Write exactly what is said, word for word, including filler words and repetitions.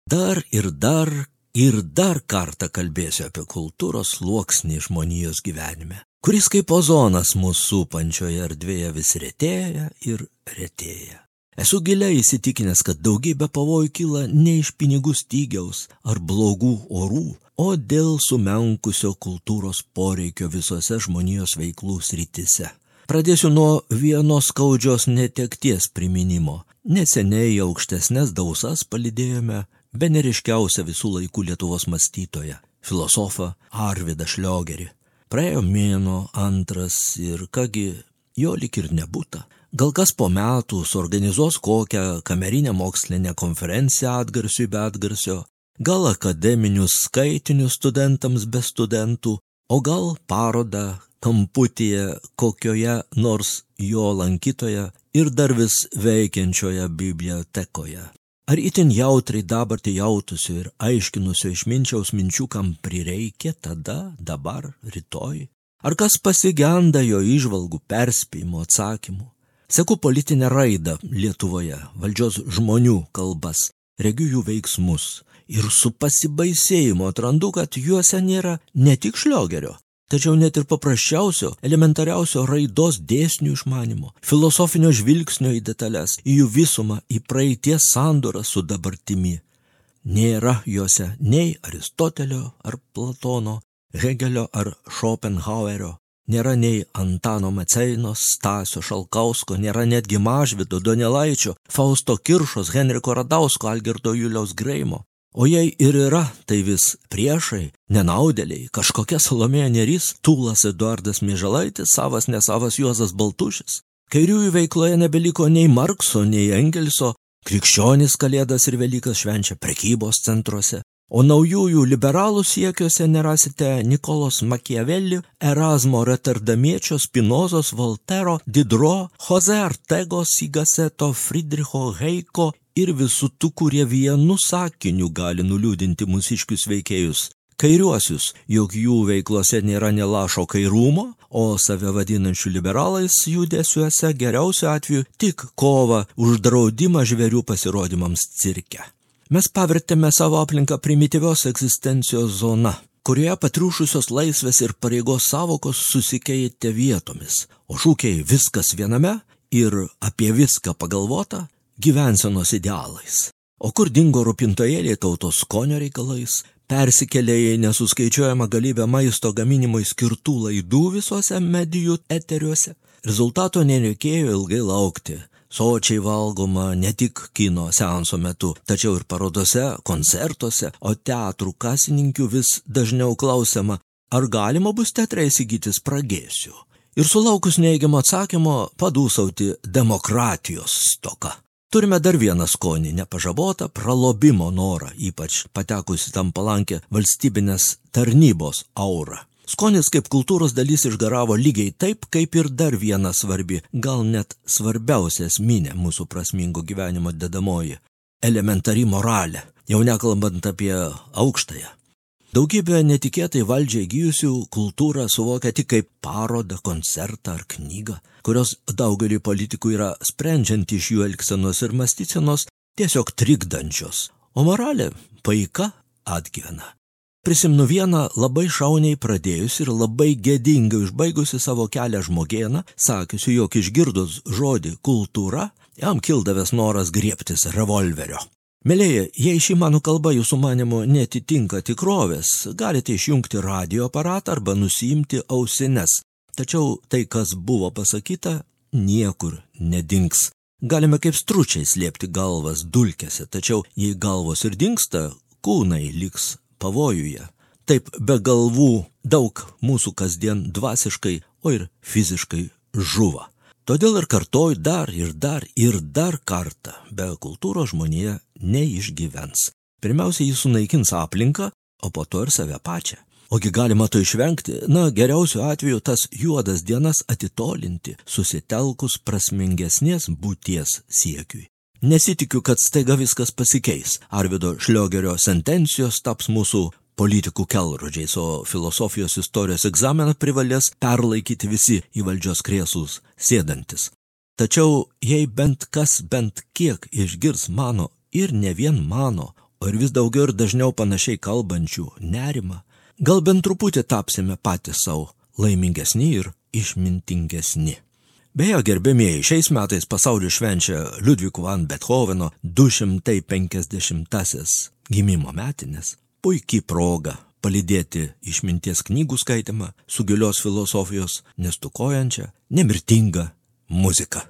Dar ir dar ir dar kartą kalbėsiu apie kultūros sluoksnį žmonijos gyvenime, kuris kaip ozonas mūsų supančioje erdvėje vis retėja ir retėja. Esu giliai įsitikinęs, kad daugybė pavojų kyla ne iš pinigų stygiaus ar blogų orų, o dėl sumenkusio kultūros poreikio visose žmonijos veiklų srityse. Pradėsiu nuo vienos skaudžios netekties priminimo. Neseniai aukštesnes dausas palydėjome bene ryškiausią visų laikų Lietuvos mąstytoją, filosofą Arvydą Šliogerį. Praėjo mėnuo, antras ir kągi, jo lyg ir nebūta. Gal kas po metų suorganizuos kokią kamerinę mokslinę konferenciją atgarsiui be atgarsio, gal akademinius skaitinius studentams be studentų, o gal parodą kamputyje kokioje nors jo lankytoje ir dar vis veikiančioje bibliotekoje. Ar itin jautriai dabartį jautusio ir aiškinusio išminčiaus minčių, kam prireikė tada, dabar, rytoj? Ar kas pasigenda jo įžvalgų, perspėjimų, atsakymų? Seku politinę raidą Lietuvoje, valdžios žmonių kalbas, regiu jų veiksmus ir su pasibaisėjimu atrandu, kad juose nėra ne tik Šliogerio, tačiau net ir paprasčiausio, elementariausio raidos dėsnių išmanimo, filosofinio žvilgsnio į detalės, į jų visumą, į praeities sandorą su dabartimi. Nėra juose nei Aristotelio ar Platono, Hegelio ar Schopenhauerio, nėra nei Antano Maceino, Stasio Šalkausko, nėra netgi Mažvydo, Donelaičio, Fausto Kiršos, Henriko Radausko, Algirdo Juliaus Greimo. O jei ir yra, tai vis priešai, nenaudėliai, kažkokia Salomėja Nėris, Tūlas Eduardas Mieželaitis, savas nesavas Juozas Baltušis. Kairiųjų veikloje nebeliko nei Markso, nei Engelso, krikščionys Kalėdas ir Velykas švenčia prekybos centruose. O naujųjų liberalų siekiuose nerasite Nikolos Makiavelli, Erasmo Rotterdamiečio, Spinozos, Voltero, Didro, Jose Ortegos, Sigaseto, Friedricho Heiko ir visų tų, kurie vienu sakiniu gali nuliūdinti mūsiškius veikėjus. Kairiuosius, jog jų veiklose nėra nė lašo kairumo, o save vadinančių liberalais judesiuose geriausiu atveju tik kova už draudimą žvėrių pasirodymams cirke. Mes pavertėme savo aplinką primityvios egzistencijos zona, kurioje patriušusios laisvės ir pareigos savokos susikeitė vietomis, o šūkiai viskas viename ir apie viską pagalvota gyvensenos idealais. O kur dingo rūpintojėliai tautos skonio reikalais, persikėlė į nesuskaičiuojamą galybę maisto gaminimui skirtų laidų visose medijų eteriuose. Rezultato nereikėjo ilgai laukti. Sočiai valgoma ne tik kino seanso metu, tačiau ir parodose, koncertuose, o teatrų kasininkių vis dažniau klausiama, ar galima bus teatre įsigyti spragėsių. Ir sulaukus neigiamo atsakymo padūsauti demokratijos stoka. Turime dar vieną skonį, nepažabotą pralobimo norą, ypač patekusi tam palankę valstybinės tarnybos aurą. Skonis kaip kultūros dalis išgaravo lygiai taip, kaip ir dar viena svarbi, gal net svarbiausia esminė mūsų prasmingo gyvenimo dedamoji – elementari moralė, jau nekalbant apie aukštąją. Daugybė netikėtai valdžiai įgijusių kultūrą suvokia tik kaip parodą, koncertą ar knygą, kurios daugeliui politikų yra sprendžiant iš jų elgsenos ir mąstysenos tiesiog trikdančios, o moralė paika atgyvena. Prisimenu vieną labai šauniai pradėjusi ir labai gėdingai užbaigusi savo kelią žmogėną, sakiusi, jog išgirdus žodį kultūra, jam kildavęs noras griebtis revolverio. Mielieji, jei ši mano kalba jūsų manymu netitinka tikrovės, galite išjungti radio aparatą arba nusiimti ausines. Tačiau tai, kas buvo pasakyta, niekur nedings. Galime kaip stručiai slėpti galvas dulkėse, tačiau jei galvos ir dingsta, kūnai liks pavojuje. Taip be galvų daug mūsų kasdien dvasiškai, o ir fiziškai žuva. Todėl ir kartoju dar ir dar ir dar kartą, be kultūros žmonija neišgyvens. Pirmiausia, jis sunaikins aplinką, o po to ir save pačią. Ogi galima to išvengti, na, geriausiu atveju tas juodas dienas atitolinti, susitelkus prasmingesnės būties siekiui. Nesitikiu, kad staiga viskas pasikeis. Arvydo Šliogerio sentencijos taps mūsų politikų kelrodžiais, o filosofijos istorijos egzaminą privalės perlaikyti visi į valdžios krėslus sėdantis. Tačiau jei bent kas bent kiek išgirs mano ir ne vien mano, o ir vis daugiau ir dažniau panašiai kalbančių nerimą, gal bent truputį tapsime patys savo laimingesni ir išmintingesni. Beje, gerbėmieji, šiais metais pasaulį švenčia Liudviko van Bethoveno du šimtai penkiasdešimtasis gimimo metinės. Puikiai proga palydėti išminties knygų skaitimą su gilios filosofijos nestukojančia, nemirtinga muzika.